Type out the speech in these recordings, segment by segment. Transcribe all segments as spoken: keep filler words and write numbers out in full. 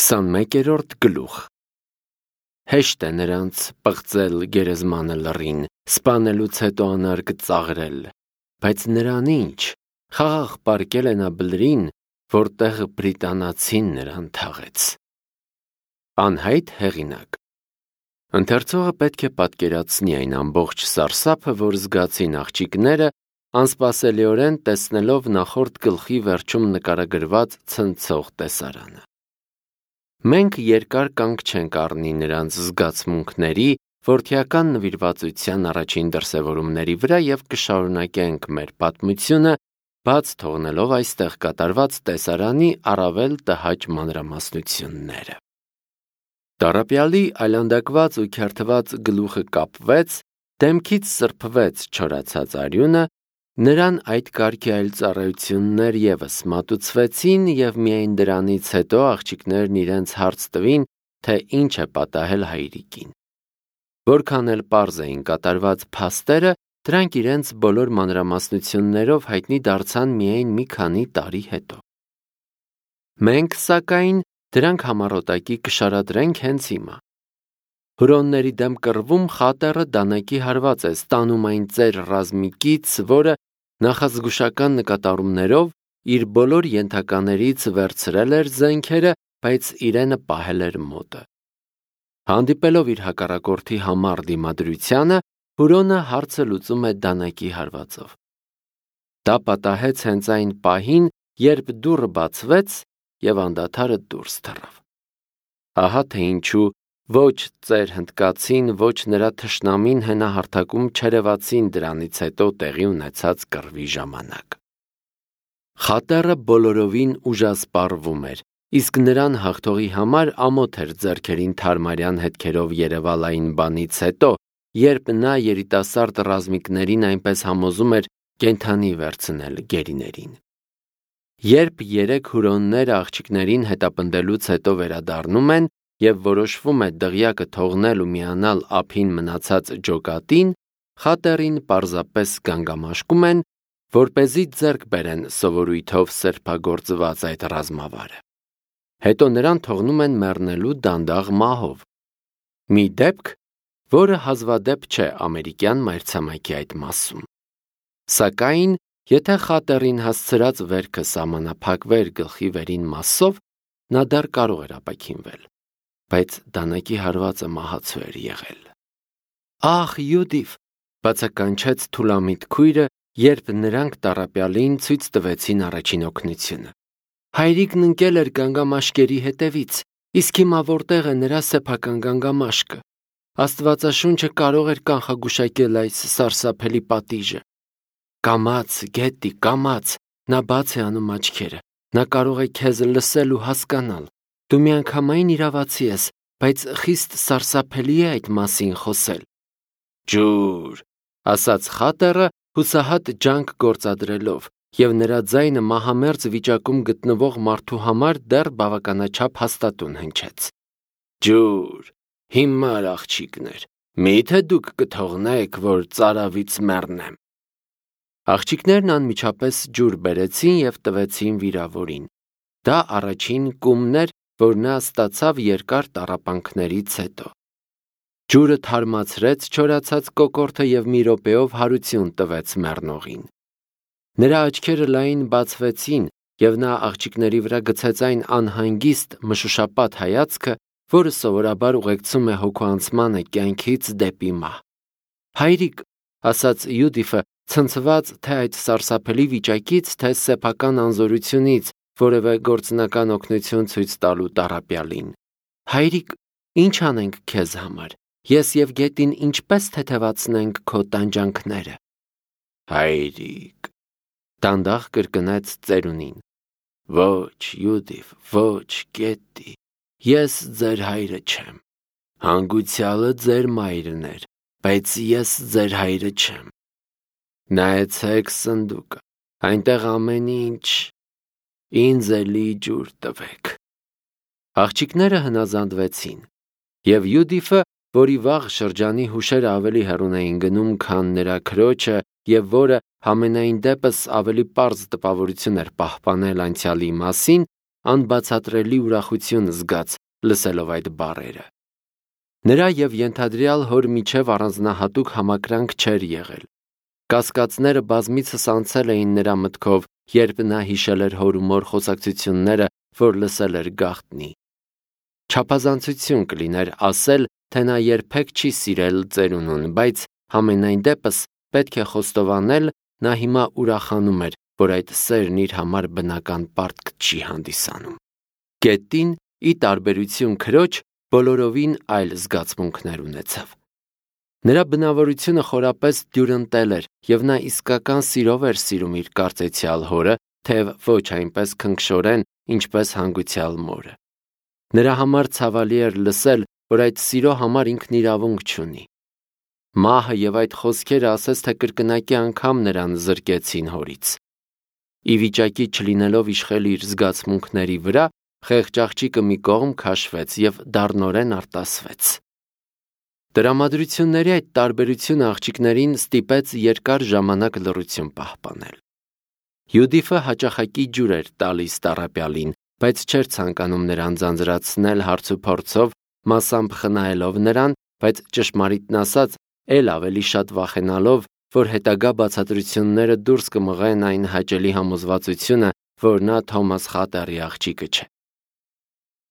Քսանմեկերորդ գլուխ Հեշտ է նրանց պղծել գերեզմանը լռին, սպանելուց հետո անարգ ծաղրել, բայց նրան ինչ, խաղաղ պառկել է նա բլրին, որտեղ բրիտանացին նրան թաղեց։ Անհայտ հեղինակ Ընթերցողը պետք է պատկերացնի այն ամբողջ սարսափը, որ զգացին աղջիկները, անսպասելիորեն տեսնելով նախորդ գլխի վերջում նկարագրված ցնցող տեսարանը։ Մենք երկար կանգ չենք առնի նրանց զգացմունքների, որդիական նվիրվածության առաջին դրսևորումների վրա և կշարունակենք մեր պատմությունը, բաց թողնելով այստեղ կատարված տեսարանի առավել տհաճ մանրամասնությունները։ Տառապյալի այլանդակված ու քերթված գլուխը կապվեց, դեմքից սրբվեց չորացած արյունը, նրան այդ կարգի այլ ծառայություններ ևս մատուցվեցին և միայն դրանից հետո աղջիկներն իրենց հարց տվին, թե ինչ է պատահել հայրիկին։ Որքան էլ պարզ էին կատարված փաստերը, դրանք իրենց բոլոր մանրամասնություններով հայտնի դարձան միայն մի քանի տարի հետո։ Մենք, սակայն, դրանք համառոտակի կշարադրենք հենց հիմա։ Հուրոնների դեմ կռվում խատերը դանակի հարված է, ստանում այն ծեր ռազմիկից, որը նախազգուշական նկատառումներով իր բոլոր ենթականերից վերցրել էր զենքերը, բայց իրենը պահել էր մոտը։ Հանդիպելով իր հակառակորդի համառ դիմադրությանը, Հուրոնը հարցը լուծում է դանակի հարվածով։ Դա պատահեց հենց այն պահին, երբ դուռը բացվեց և անդադարը դուրս թռավ։ Ահա թե ինչու ոչ ծեր հնդկացին, ոչ նրա թշնամին հենահարթակում չերևացին դրանից հետո տեղի ունեցած կռվի ժամանակ։ Խատերը բոլորովին ուժասպառվում էր, իսկ նրան հաղթողի համար ամոթ էր ձեռքերին թարմարյան հետքերով երևալ այն բանից հետո, երբ նա երիտասարդ ռազմիկներին այնպես համոզում էր կենդանի վերցնել գերիներին։ Երբ երեք հուրոնները աղջիկներին հետապնդելուց հետո վերադառնում են և որոշվում է դղյակը թողնել ու միանալ ափին մնացած ջոկատին, խատերին պարզապես գանգամաշկում են, որպեսզի ձեռք բերեն սովորույթով սրբագործված այդ ռազմավարը։ Հետո նրան թողնում են մեռնելու դանդաղ մահով։ Մի դեպք, որը հազվադեպ չէ ամերիկյան մայրցամաքի այդ մասում։ Սակայն, եթե խատերին հասցրած վերքը սահմանափակվեր գլխի վերին մասով, նա դեռ կարող էր ապաքինվել, բայց դանակի հարվածը մահացու էր եղել։ Ախ, Յուդիֆ, բացականչեց թուլամիտ քույրը, երբ նրանք տառապյալին ցույց տվեցին առաջին օգնությունը։ Հայրիկն ընկել էր գանգամաշկերի հետևից, իսկ հիմա որտեղ է նրա սեփական գանգամաշկը։ Աստվածաշունչը կարող էր կանխագուշակել այս սարսափելի պատիժը։ Կամաց, Գետտի, կամաց, նա բաց է անում աչքերը, նա կարող է քեզ լսել ու հասկանալ։ Դու միանգամայն իրավացի ես, բայց խիստ սարսափելի է այդ մասին խոսել։ Ջուր, ասաց խատերը հուսահատ ջանք գործադրելով, և նրա ձայնը մահամերձ վիճակում գտնվող մարդու համար դեռ բավականաչափ հաստատուն հնչեց։ Ջուր, հիմար աղջիկներ, մի՞թե դուք կթողնեք, որ ծարավից մեռնեմ։ Աղջիկներն անմիջապես ջուր բերեցին և տվեցին վիրավորին։ Դա առաջին կումն էր, որ նա ստացավ երկար տառապանքներից հետո։ Ջուրը թարմացրեց չորացած կոկորդը և մի րոպեով հարություն տվեց մեռնողին։ Նրա աչքերը լայն բացվեցին, և նա աղջիկների վրա գցեց այն անհանգիստ մշուշապատ հայացքը, որը սովորաբար ուղեկցում է հոգուանցմանը կյանքից դեպի մահ։ Հայրիկ, ասաց Յուդիֆը, ցնցված թե այդ սարսափելի վիճակից, թե սեփական անզորությունից, որևէ գործնական օգնություն ցույց տալու տառապյալին։ Հայրիկ, ինչ անենք քեզ համար, ես և Գետին ինչպես թեթևացնենք քո տանջանքները։ Հայրիկ, դանդաղ կրկնեց ծերունին։ Ոչ, Յուդիֆ, ոչ, Գետտի, ես ձեր հայրը չեմ։ Հանգուցյալը ձեր մայրն էր, բայց ես ձեր հայրը չեմ։ Նայեցեք սնդուկը, այնտեղ ամեն ինչ, ինձ էլի ջուր տվեք։ Աղջիկները հնազանդվեցին, և Յուդիֆը, որի վաղ շրջանի հուշերը ավելի հեռուն էին գնում, քան նրա քրոջը, և որը համենայն դեպս ավելի պարզ տպավորություն էր պահպանել անցյալի մասին, անբացատրելի ուրախություն զգաց լսելով այդ բառերը։ Նրա և ենթադրյալ հոր միջև առանձնահատուկ համակրանք չէր եղել։ Կասկածները բազմիցս անցել էին նրա մտքով, երբ նա հիշել էր հոր ու մոր խոսակցությունները, որ լսել էր գաղտնի։ Չափազանցություն կլիներ ասել, թե նա երբեք չի սիրել ծերունուն, բայց համենայն դեպս պետք է խոստովանել, նա հիմա ուրախանում էր, որ այդ սերն իր համար բնական պարտք չի հանդիսանում։ Գետին, ի տարբերություն քրոջ, բոլորովին այլ զգացմունքներ ունեցավ։ Նրա բնավորությունը խորապես դյուրընտել էր, և նա իսկական սիրով էր սիրում իր կարծեցյալ հորը, թեև ոչ այնպես քնքշորեն, ինչպես հանգուցյալ մորը։ Նրա համար ցավալի էր լսել, որ այդ սիրո համար ինքն իրավունք չունի։ Մահը և այդ խոսքերը ասես թե կրկնակի անգամ նրան զրկեցին հորից։ Ի վիճակի չլինելով իշխել իր զգացմունքների վրա, խեղճ աղջիկը մի կողմ քաշվեց և դառնորեն արտասվեց։ Տրամադրությունների այդ տարբերությունը աղջիկներին ստիպեց երկար ժամանակ լռություն պահպանել։ Յուդիֆը հաճախակի ջուր էր տալիս տառապյալին, բայց չէր ցանկանում նրան ձանձրացնել հարցուփորձով, մասամբ խնայելով նրան, բայց ճշմարիտն ասած, էլ ավելի շատ վախենալով, որ հետագա բացատրությունները դուրս կմղեն այն հաճելի համոզվածությունը, որ նա Թոմաս Խատերի աղջիկը չէ։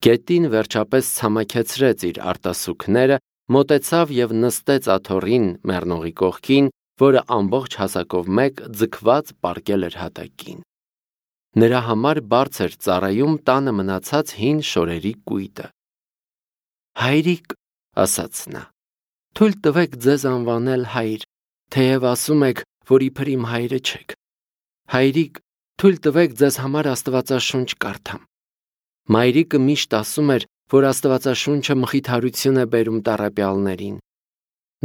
Գետին վերջապես ցամաքեցրեց իր արտասուքները, մոտեցավ և նստեց աթոռին մեռնողի կողքին, որը ամբողջ հասակով մեկ ձգված պառկել էր հատակին։ Նրա համար բարձր ծառայում տանը մնացած հին շորերի կույտը։ «Հայրիկ», ասաց նա, «թույլ տվեք ձեզ անվանել հայր, թեև ասում եք, որ իբր իմ հայրը չեք։ Հայրիկ, թույլ տվեք ձեզ համար Աստվածաշունչ կարդամ։ Մայրիկը միշտ ասում էր, որ Աստվածաշունչը մխիթարություն է բերում տառապյալներին։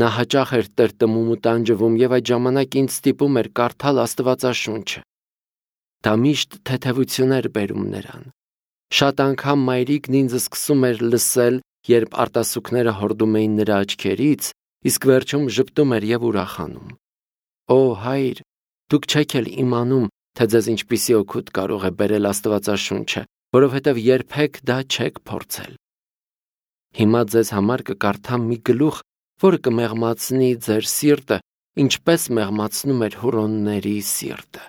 Նա հաճախ էր տրտմում ու տանջվում և այդ ժամանակ ինձ ստիպում էր կարդալ Աստվածաշունչը։ Դա միշտ թեթևություն էր բերում նրան։ Շատ անգամ մայրիկն ինձ սկսում էր լսել, երբ արտասուքները հորդում էին նրա աչքերից, իսկ վերջում ժպտում էր և ուրախանում։ Օ, հայր, դուք չեք էլ իմանում, թե ձեզ ինչպիսի օգուտ կարող է բերել Աստվածաշունչը, որովհետև երբեք դա չեք փորձել։ Հիմա ձեզ համար կկարդամ մի գլուխ, որը կմեղմացնի ձեր սիրտը, ինչպես մեղմացնում էր հուրոնների սիրտը։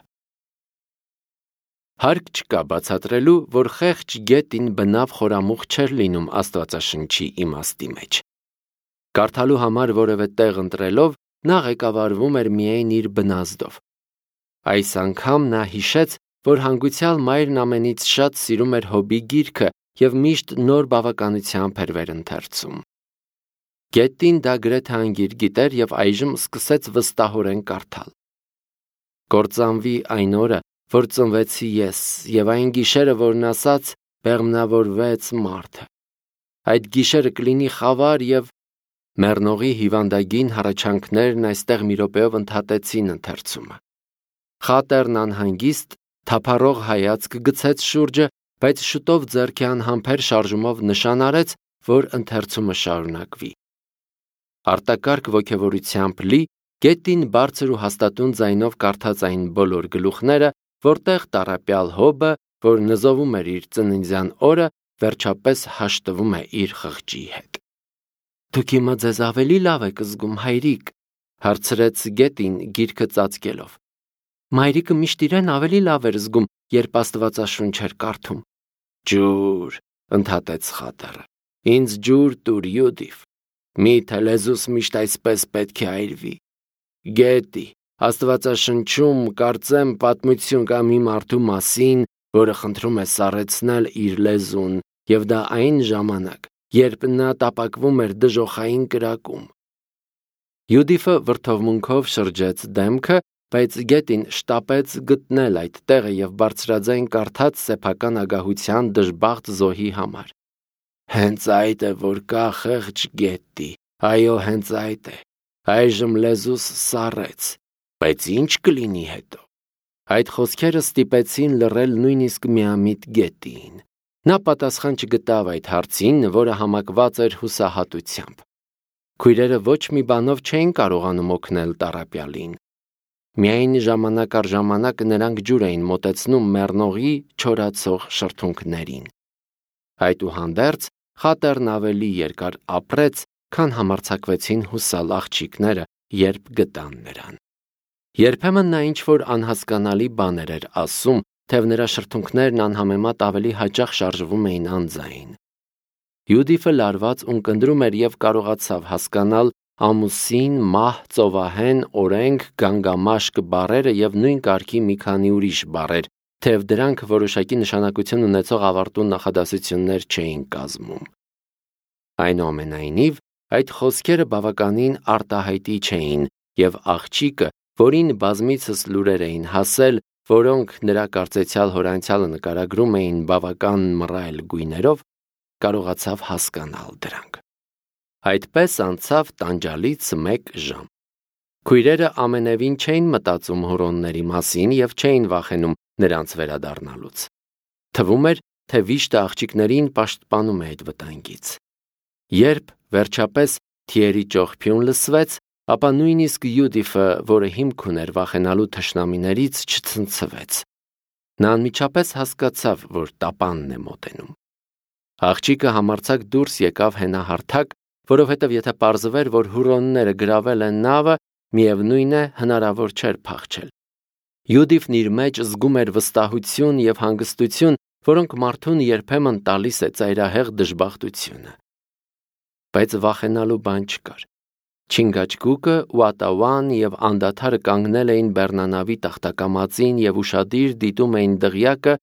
Հարկ չկա բացատրելու, որ խեղճ գետին բնավ խորամուխ չէր լինում Աստվածաշնչի իմաստի մեջ։ Կարդալու համար որևէ տեղ ընտրելով, նա ղեկավարվում էր միայն իր բնազդով։ Այս անգամ նա հիշեց, որ հանգուցյալ մայրն ամենից շատ սիրում էր Հոբի գիրքը և միշտ նոր բավականությամբ էր վերընթերցում։ Գետին դա գրեթե անգիր գիտեր և այժմ սկսեց վստահորեն կարդալ։ Կործանվի այն օրը, որ ծնվեցի ես, և այն գիշերը, որն ասաց, բեղմնավորվեց մարդը։ Այդ գիշերը կլինի խավար և… Մեռնողի հիվանդագին հառաչանքներն այստեղ մի րոպեով ընդհատեցին ընթերցումը։ Խատերն անհանգիստ, թափառող հայացք գցեց շուրջը, բայց շուտով ձեռքի անհամբեր շարժումով նշան արեց, որ ընթերցումը շարունակվի։ Արտակարգ ոգևորությամբ լի, գետին բարձր ու հաստատուն ձայնով կարդաց այն բոլոր գլուխները, որտեղ տառապյալ Հոբը, որ նզովում էր իր ծննդյան օրը, վերջապես հաշտվում է իր խղճի հետ։ Դուք հիմա ձեզ ավելի լավ եք զգում, հայրիկ, հարցրեց գետին գիրքը ծածկելով։ Մայրիկը միշտ իրեն ավելի լավ էր զգում, երբ Աստվածաշունչ էր կարդում։ Ջուր, ընդհատեց Խատերը։ Ինձ ջուր տուր, Յուդիֆ։ Միթե լեզուս միշտ այսպես պետք է այրվի։ Գետի, Աստվածաշնչում կարծեմ պատմություն կա մի մարդու մասին, որը խնդրում է սառեցնել իր լեզուն, և դա այն ժամանակ, երբ նա տապակվում էր դժոխային կրակում։ Յուդիֆը վրդովմունքով շրջեց դեմքը, բայց գետին շտապեց գտնել այդ տեղը և բարձրաձայն կարդաց սեփական ագահության դժբախտ զոհի համար։ Հենց այդ է, որ կա խեղճ գետի, այո, հենց այդ է, այժմ լեզուս սառեց, բայց ինչ կլինի հետո։ Այդ խոսքերը ստիպեցին լռել նույնիսկ միամիտ գետին։ Նա պատասխան չգտավ այդ հարցին, որը համակված էր հուսահատությամբ։ Քույրերը ոչ մի բանով չէին կարողանում օգնել տառապյալին։ Միայն ժամանակ առ ժամանակ նրանք ջուր էին մոտեցնում մեռնողի չորացող շրթունքներին։ Այդուհանդերձ խատերն ավելի երկար ապրեց, քան համարձակվեցին հուսալ աղջիկները, երբ գտան նրան։ Երբեմն նա ինչ-որ անհասկանալի բաներ էր ասում, թեև նրա շրթունքներն անհամեմատ ավելի հաճախ շարժվում էին անձայն։ Յուդիֆը լարված ունկնդրում էր և կարողացավ հասկանալ ամուսին, մահ, ծովահեն, օրենք, գանգամաշկ բառերը և նույն կարգի մի քանի ուրիշ բառեր, թեև դրանք որոշակի նշանակություն ունեցող ավարտուն նախադասություններ չէին կազմում։ Այնուամենայնիվ, այդ խոսքերը բավականին արտահայտիչ չէին, և աղջիկը, որին բազմիցս լուրեր էին հասել, որոնք նրա կարծեցյալ հորանցյալը նկարագրում էին բավական մռայլ գույներով, կարողացավ հասկանալ դրանք։ Այդպես անցավ տանջալից մեկ ժամ։ Քույրերը ամենևին չէին մտածում հուրոնների մասին և չէին վախենում նրանց վերադառնալուց։ Թվում էր, թե վիշտը աղջիկներին պաշտպանում է այդ վտանգից։ Երբ վերջապես թիերի ճողփյուն լսվեց, ապա նույնիսկ Յուդիֆը, որը հիմք ուներ վախենալու թշնամիներից, չցնցվեց։ Նա անմիջապես հասկացավ, որ տապանն է մոտենում։ Աղջիկը համարձակ դուրս եկավ հենահարթակ, որովհետև եթե պարզվեր, որ հուրոնները գրավել են նավը, միևնույն է, հնարավոր չէր փախչել։ Յուդիֆն իր մեջ զգում էր վստահություն և հանգստություն, որոնք մարդուն երբեմն տալիս է ծայրահեղ դժբախտությունը։ Բայց վախենալու բան չկար։ Չինգաչգուկը, Ուատաուան և անդադարը կանգնել էին բեռնանավի տախտակամածին և ուշադիր դիտում էին դղյակը,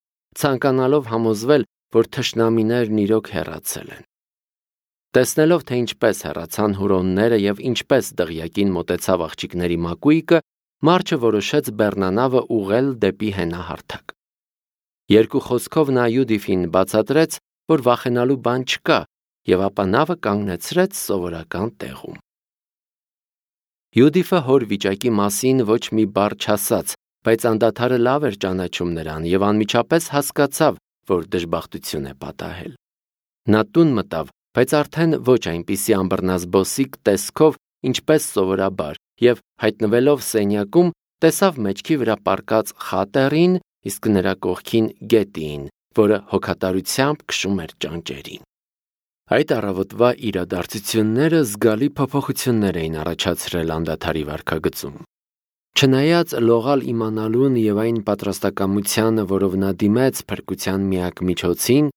ցանկանալով համոզվել, որ թշնամիներն իրոք հեռացել են։ Տեսնելով, թե ինչպես հեռացան հուրոնները և ինչպես դղյակին մոտեցավ աղջիկների մակույկը, Մարչը որոշեց բեռնանավը ուղղել դեպի հենահարթակ։ Երկու խոսքով նա Յուդիֆին բացատրեց, որ վախենալու բան չկա, և ապա նավը կանգնեցրեց սովորական տեղում։ Յուդիֆը հոր վիճակի մասին ոչ մի բառ չասաց, բայց անդադարը լավ էր ճանաչում նրան և անմիջապես հասկացավ, որ դժբախտություն է պատահել։ Նա տուն մտավ, բայց արդեն ոչ այնպիսի անբռնազբոսիկ տեսքով, ինչպես սովորաբար, և հայտնվելով սենյակում, տեսավ մեջքի վրա պառկած խատերին, իսկ նրա կողքին գետին, որը հոգատարությամբ քշում էր ճանճերին։ Այդ առավոտվա իրադարձությունները զգալի փոփոխություններ էին առաջացրել անդադարի վարքագծում։ Չնայած լողալ իմանալուն և այն պատրաստակամությանը, որով նա դիմեց փրկության միակ միջոցին,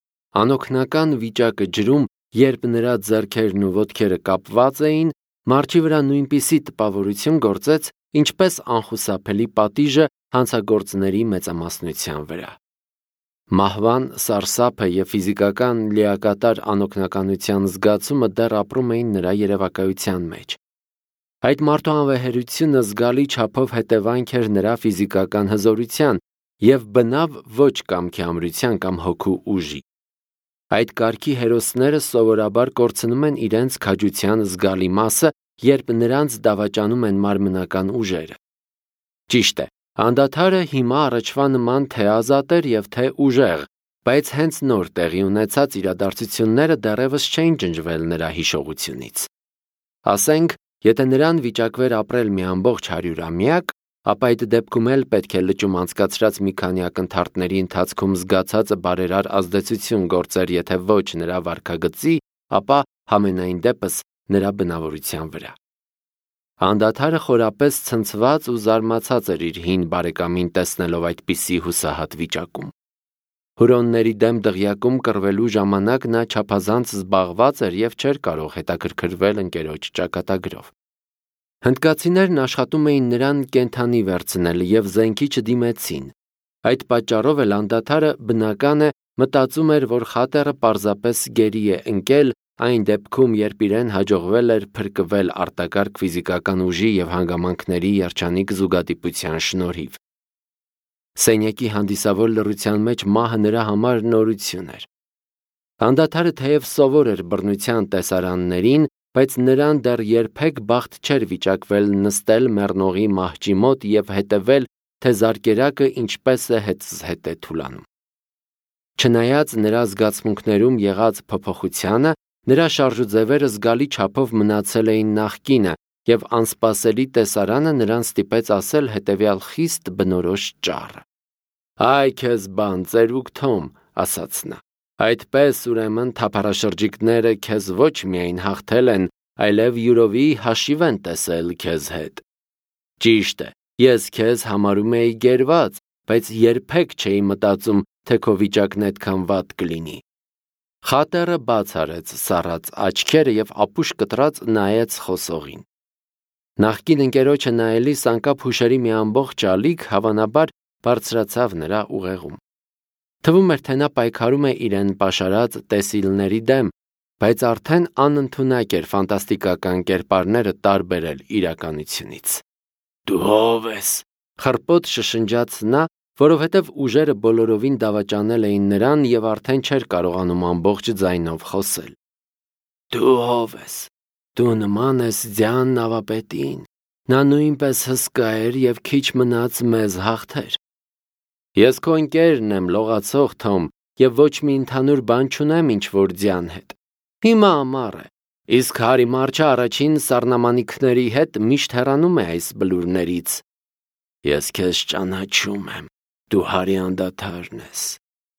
անօգնական վիճակը ջրում, երբ նրա ձեռքերն ու ոտքերը կապված էին, Մարչի վրա նույնպիսի տպավորություն գործեց, ինչպես անխուսափելի պատիժը հանցագործների մեծամասնության վրա։ Մահվան սարսափը և ֆիզիկական լիակատար անօգնականության զգացումը դեռ ապրում էին նրա երևակայության մեջ։ Այդ մարդու անվեհերությունը զգալի չափով հետևանք էր նրա ֆիզիկական հզորության և բնավ ոչ կամքի ամրության կամ հոգու ուժի։ Այդ կարգի հերոսները սովորաբար կորցնում են իրենց քաջության զգալի մասը, երբ նրանց դավաճանում են մարմնական ուժերը։ Ճիշտ է, անդադարը հիմա առաջվա նման թե ազատ էր և թե ուժեղ, բայց հենց նոր տեղի ունեցած իրադարձությունները դեռևս չէին ջնջվել նրա հիշողությունից։ Ասենք, եթե նրան վիճակվեր ապրել մի ամբողջ հարյուրամյակ, ապա այդ դեպքում էլ պետք է լճում անցկացրած մի քանի ակնթարթների ընթացքում զգացածը բարերար ազդեցություն գործեր, եթե ոչ նրա վարքագծի, ապա համենայն դեպս նրա բնավորության վրա։ Անդադարը խորապես ցնցված ու զարմացած էր իր հին բարեկամին տեսնելով այդպիսի հուսահատ վիճակում։ Հուրոնների դեմ դղյակում կռվելու ժամանակ նա չափազանց զբաղված էր և չէր կարող հետաքրքրվել ընկերոջ ճակատագրով։ Հնդկացիներն աշխատում էին նրան կենդանի վերցնել և զենքի չդիմեցին։ Այդ պատճառով էլ անդադարը, բնական է, մտածում էր, որ խատերը պարզապես գերի է ընկել այն դեպքում, երբ իրեն հաջողվել էր փրկվել արտակարգ ֆիզիկական ուժի և հանգամանքների երջանիկ զուգադիպության շնորհիվ։ Սենյակի հանդիսավոր լռության մեջ մահը նրա համար նորություն էր։ Անդադարը թեև սովոր էր բռնության տեսարաններին, բայց նրան դեռ երբեք բախտ չէր վիճակվել նստել մեռնողի մահճի մոտ և հետևել, թե զարկերակը ինչպես է հետզհետե թուլանում։ Չնայած նրա զգացմունքներում եղած փոփոխությանը, նրա շարժուձևերը զգալի չափով մնացել էին նախկինը, և անսպասելի տեսարանը նրան ստիպեց ասել հետևյալ խիստ բնորոշ ճառը. «Այ քեզ բան, ծերուկ Թոմ», ասաց նա, «այդպես ուրեմն թափառաշրջիկները քեզ ոչ միայն հաղթել են, այլև յուրովի հաշիվ են տեսել քեզ հետ։ Ճիշտ է, ես քեզ համարում էի գերված, բայց երբեք չէի մտածում, թե քո վիճակն այդքան վատ կլինի»։ Խատեռը բաց արեց սառած աչքերը և ապուշ կտրած նայեց խոսողին։ Նախկին ընկերոջը նայելիս անկապ հուշերի մի ամբողջ ալիք հավանաբար բարձրացավ նրա ուղեղում։ Թվում էր, թե նա պայքարում է իրեն պաշարած տեսիլների դեմ, բայց արդեն անընդունակ էր ֆանտաստիկական կերպարները տարբերել իրականությունից։ «Դու ո՞վ ես», խռպոտ շշնջաց նա, որովհետև ուժերը բոլորովին դավաճանել էին նրան և արդեն չէր կարողանում ամբողջ ձայնով խոսել։ «Դու ո՞վ ես, դու նման ես ձյան նավապետին, նա նույնպես հսկա էր և քիչ մնաց մեզ հաղթեր»։ «Ես քո ընկերն եմ, լողացող Թոմ, և ոչ մի ընդհանուր բան չունեմ ինչ-որ ձյան հետ։ Հիմա ամառ է, իսկ Հարի Մարչը առաջին սառնամանիքների հետ միշտ հեռանում է այս բլուրներից»։ «Ես քեզ ճանաչում եմ, դու Հարի անդադարն ես,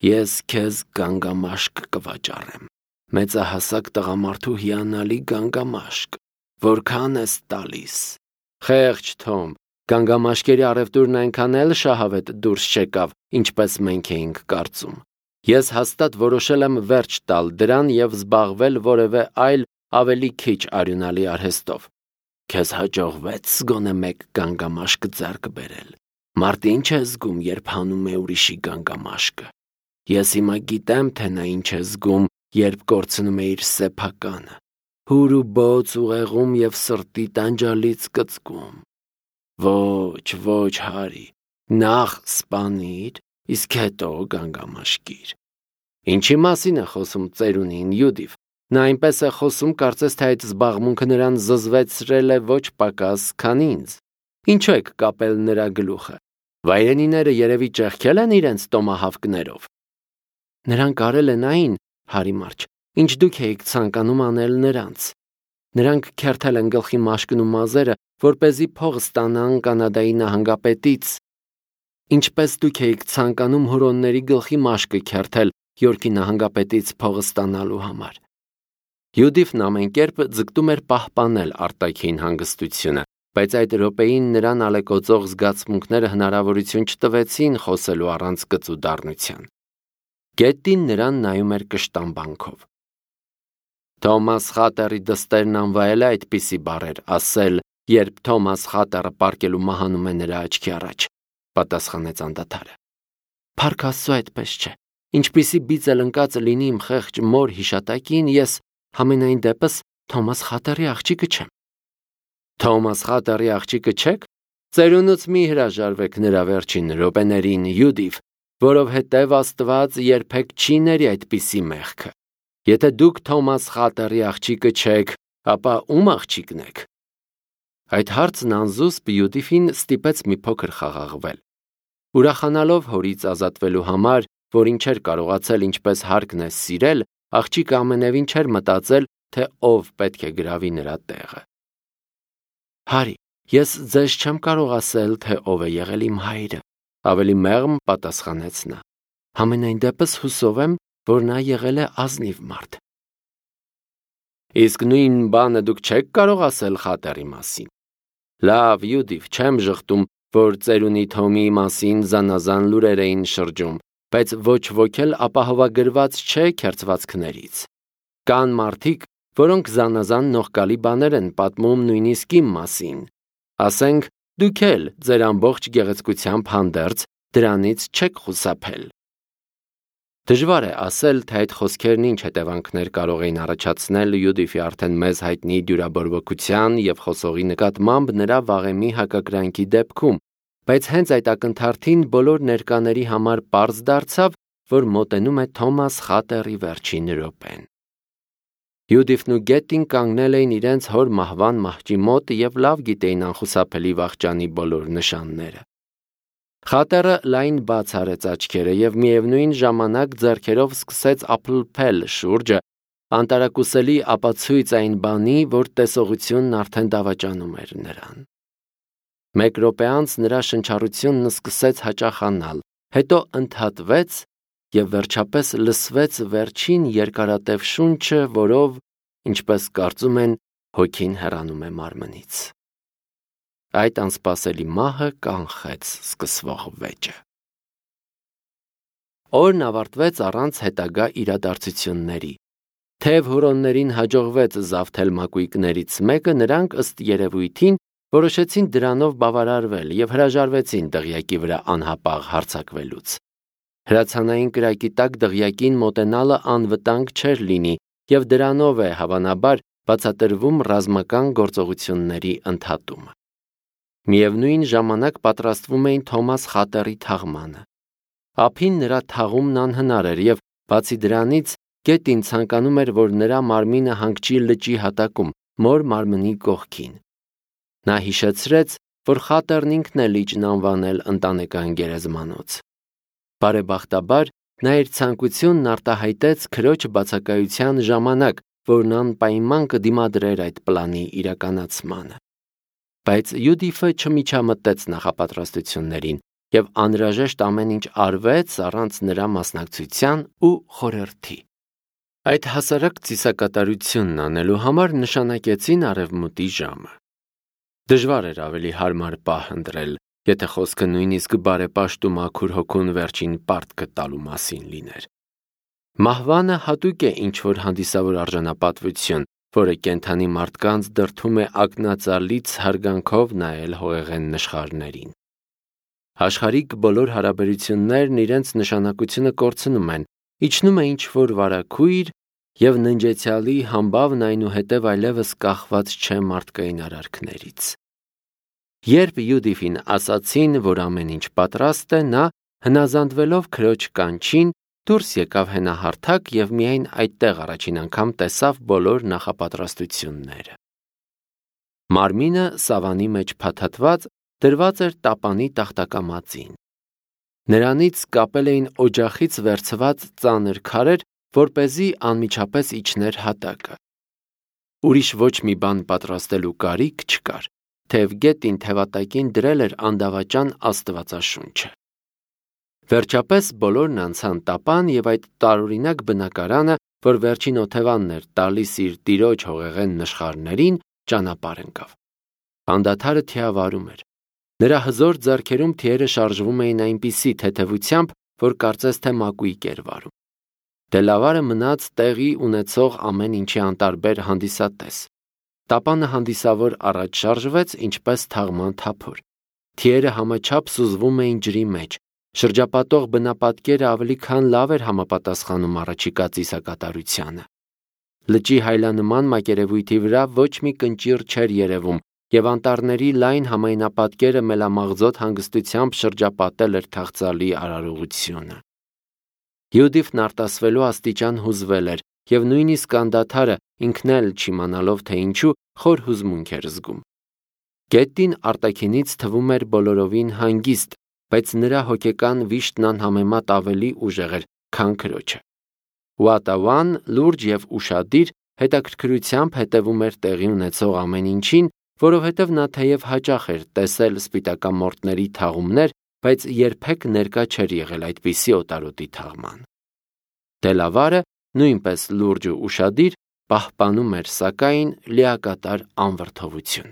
ես քեզ գանգամաշկ կվաճառեմ, մեծահասակ տղամարդու հիանալի գանգամաշկ, որքան ես տալիս»։ «Խեղճ Թոմ, գանգամաշկերի առևտուրն այնքան էլ շահավետ դուրս չեկավ, ինչպես մենք էինք կարծում։ Ես հաստատ որոշել եմ վերջ տալ դրան և զբաղվել որևէ այլ ավելի քիչ արյունալի արհեստով։ Քեզ հաջողվեց գոնե մեկ գանգամաշկ ձեռք բերել։ Մարդ ինչ է զգում, երբ հանում է ուրիշի գանգամաշկը։ Ես հիմա գիտեմ, թե նա ինչ է զգում, երբ կորցնում է իր սեփականը, հուր ու բոծ ուղեղում և սրտի տանջալից կծկում։ Ոչ, ոչ, Հարի, նախ սպանիր, իսկ հետո գանգամաշկիր»։ Ինչի մասին է խոսում ծերունին Յուդիֆ։ Նա այնպես է խոսում, կարծես թե այդ զբաղմունքը նրան զզվեցրել է ոչ պակաս, քան ինձ։ Ինչու եք կապել նրա գլուխը։ Վայրենիները երևի ճեղքել են իրենց տոմահավկներով։ Նրանք արել են այն, Հարի Մարչ, ինչ դուք էիք ցանկանում անել նրանց։ Նրանք քերթել են գլխի մաշկն ու մազերը, որպեսզի փող ստանան Կանադայի նահանգապետից, ինչպես դուք էիք ցանկանում հուրոնների գլխի մաշկը քերթել Յորքի նահանգապետից փող ստանալու համար։ Յուդիֆն ամեն կերպ ձգտում էր պահպանել արտաքին հանգստությունը, բայց այդ րոպեին նրան ալեկոծող զգացմունքները հնարավորություն չտվեցին խոսելու առանց կծու դառնության։ Գետին նրան նայում էր կշտամբանքով։ Թոմաս Խատերի դստերն անվայել է այդպիսի բառեր ասել, երբ Թոմաս Խատերը պառկելու մահանում է նրա աչքի առաջ, պատասխանեց անդադարը։ Փառք Աստծո, այդպես չէ։ Ինչպիսի բիծ էլ ընկած լինի իմ խեղճ մոր հիշատակին, ես համենայն դեպս Թոմաս Խատերի աղջիկը չեմ։ Թոմաս Խատերի աղջիկը չեք։ Ծերունուց մի հրաժարվեք նրա վերջին րոպեներին, Յուդիֆ, որովհետև Աստված երբեք չի ների այդպիսի մեղքը։ Եթե դուք Թոմաս Խատերի աղջիկը չեք, ապա ում աղջիկն եք։ Այդ հարցն անզուսպ Յուդիֆին ստիպեց մի փոքր խաղաղվել։ Ուրախանալով հորից ազատվելու համար, որին չէր կարողացել ինչպես հարկն է սիրել, աղջիկը ամենևին չէր մտածել, թե ով պետք է գրավի նրա տեղը։ Հարի, ես ձեզ չեմ կարող ասել, թե ով է եղել իմ հայրը, ավելի մեղմ պատասխանեց նա։ Համենայն դեպս հուսով եմ, որ նա եղել է ազնիվ մարդ։ Իսկ նույն բանը դուք չեք կարող ասել Խատերի մասին։ Լավ, Յուդիֆ, չեմ ժխտում, որ ծերունի Թոմի մասին զանազան լուրեր էին շրջում, բայց ոչ ոք էլ ապահովագրված չէ քերծվածքներից։ Կան մարդիկ, որոնք զանազան նողկալի բաներ են պատմում նույնիսկ իմ մասին։ Ասենք, դուք էլ ձեր ամբողջ գեղեցկությամբ հանդերձ դրանից չեք խուսափել։ Դժվար է ասել, թե այդ խոսքերն ինչ հետևանքներ կարող էին առաջացնել Յուդիֆի արդեն մեզ հայտնի դյուրաբորբոքության և խոսողի նկատմամբ նրա վաղեմի հակակրանքի դեպքում, բայց հենց այդ ակնթարթին բոլոր ներկաների համար պարզ դարձավ, որ մոտենում է Թոմաս Խատերի վերջին րոպեն։ Յուդիֆն ու Գետին կանգնել էին իրենց հոր մահվան մահճի մոտ և լավ գիտեին անխուսափելի վախճանի բոլոր նշանները։ Խատերը լայն բաց արեց աչքերը և միևնույն ժամանակ ձեռքերով սկսեց ափլփել շուրջը, անտարակուսելի ապացույց այն բանի, որ տեսողությունն արդեն դավաճանում էր նրան։ Մեկ րոպե անց նրա շնչառությունն սկսեց հաճախանալ, հետո ընդհատվեց և վերջապես լսվեց վերջին երկարատև շունչը, որով, ինչպես կարծում են, հոգին հեռանում է մարմնից։ Այդ անսպասելի մահը կանխեց սկսվող վեճը։ Օրն ավարտվեց առանց հետագա իրադարձությունների։ Թեև հուրոններին հաջողվեց զավթել մակույկներից մեկը, նրանք ըստ երևույթին որոշեցին դրանով բավարարվել և հրաժարվեցին դղյակի վրա անհապաղ հարձակվելուց։ Հրացանային կրակի տակ դղյակին մոտենալը անվտանգ չէր լինի, և դրանով է, հավանաբար, բացատրվում ռազմական գործողությունների ընդհատումը։ Միևնույն ժամանակ պատրաստվում էին Թոմաս Խատերի թաղմանը։ Ափին նրա թաղումն անհնար էր և, բացի դրանից, Գետին ցանկանում էր, որ նրա մարմինը հանգչի լճի հատակում, մոր մարմնի կողքին։ Նա հիշեցրեց, որ Խատերն ինքն է լիճն անվանել ընտանեկան գերեզմանոց։ Բարեբախտաբար, նա իր ցանկությունն արտահայտեց քրոջ բացակայության ժամանակ, որն անպայման կդիմադրեր այդ պլանի իրականացմանը։ Բայց Յուդիֆը չմիջամտեց նախապատրաստություններին և անհրաժեշտ ամեն ինչ արվեց առանց նրա մասնակցության ու խորհրդի։ Այդ հասարակ ծիսակատարությունն անելու համար նշանակեցին արևմուտի ժամը։ Դժվար էր ավելի հարմար պահ ընտրել, եթե խոսքը նույնիսկ բարեպաշտ ու մաքուր հոգուն վերջին պարտքը տալու մասին լիներ։ Մահվանը հատուկ է ինչ-որ հանդիսավոր արժանապատվություն, որը կենդանի մարդկանց դրդում է ակնածալից հարգանքով նայել հողեղեն նշխարներին։ Աշխարհիկ բոլոր հարաբերություններն իրենց նշանակությունը կորցնում են, իջնում է ինչ-որ վարագույր, և ննջեցյալի համբավն այնուհետև այլևս կախված չէ մարդկային արարքներից։ Երբ Յուդիֆին ասացին, որ ամեն ինչ պատրաստ է, նա, հնազանդվելով քրոջ կանչին, դուրս եկավ հենահարթակ և միայն այդտեղ առաջին անգամ տեսավ բոլոր նախապատրաստությունները։ Մարմինը սավանի մեջ փաթաթված դրված էր տապանի տախտակամածին։ Նրանից կապել էին օջախից վերցված ծանր քարեր, որպեսզի անմիջապես իջներ հատակը։ Ուրիշ ոչ մի բան պատրաստելու կարիք չկար, թեև Գետին թևատակին դրել էր անդավաճան աստվածաշունչը։ Վերջապես բոլորն անցան տապան և այդ տարօրինակ բնակարանը, որ վերջին օթևանն էր տալիս իր տիրոջ հողեղեն նշխարներին, ճանապարհ ընկավ։ Անդադարը թիավարում էր։ Նրա հզոր ձեռքերում թիերը շարժվում էին այնպիսի թեթևությամբ, որ կարծես թե մակույկ էր վարում։ Դելավարը մնաց տեղի ունեցող ամեն ինչի անտարբեր հանդիսատես։ Տապանը հանդիսավոր առաջ շարժվեց, ինչպես թաղման թափոր։ Թիերը համաչափ սուզվում էին ջրի մեջ։ Շրջապատող բնապատկերը ավելի քան լավ էր համապատասխանում առաջիկա ծիսակատարությանը։ Լճի հայլանման մակերևույթի վրա ոչ մի կնճիռ չէր երևում, և անտառների լայն համայնապատկերը մելամաղձոտ հանգստությամբ շրջապատել էր թախծալի արարողությունը։ Յուդիֆն արտասվելու աստիճան հուզվել էր, և նույնիսկ անդադարը, ինքն էլ չիմանալով թե ինչու, խոր հուզմունք էր զգում։ Գետին արտաքինից թվում էր բոլորովին հանգիստ, բայց նրա հոգեկան վիշտն անհամեմատ ավելի ուժեղ էր, քան քրոջը։ Ուատավան, լուրջ և ուշադիր, հետաքրքրությամբ հետևում էր տեղի ունեցող ամեն ինչին, որովհետև նա թեև հաճախ էր տեսել սպիտակամորտների թաղումներ, բայց երբեք ներկա չէր եղել այդպիսի օտարոտի թաղման։ Դելավարը, նույնպես լուրջ ու ուշադիր, պահպանում էր, սակայն, լիակատար անվրդովություն։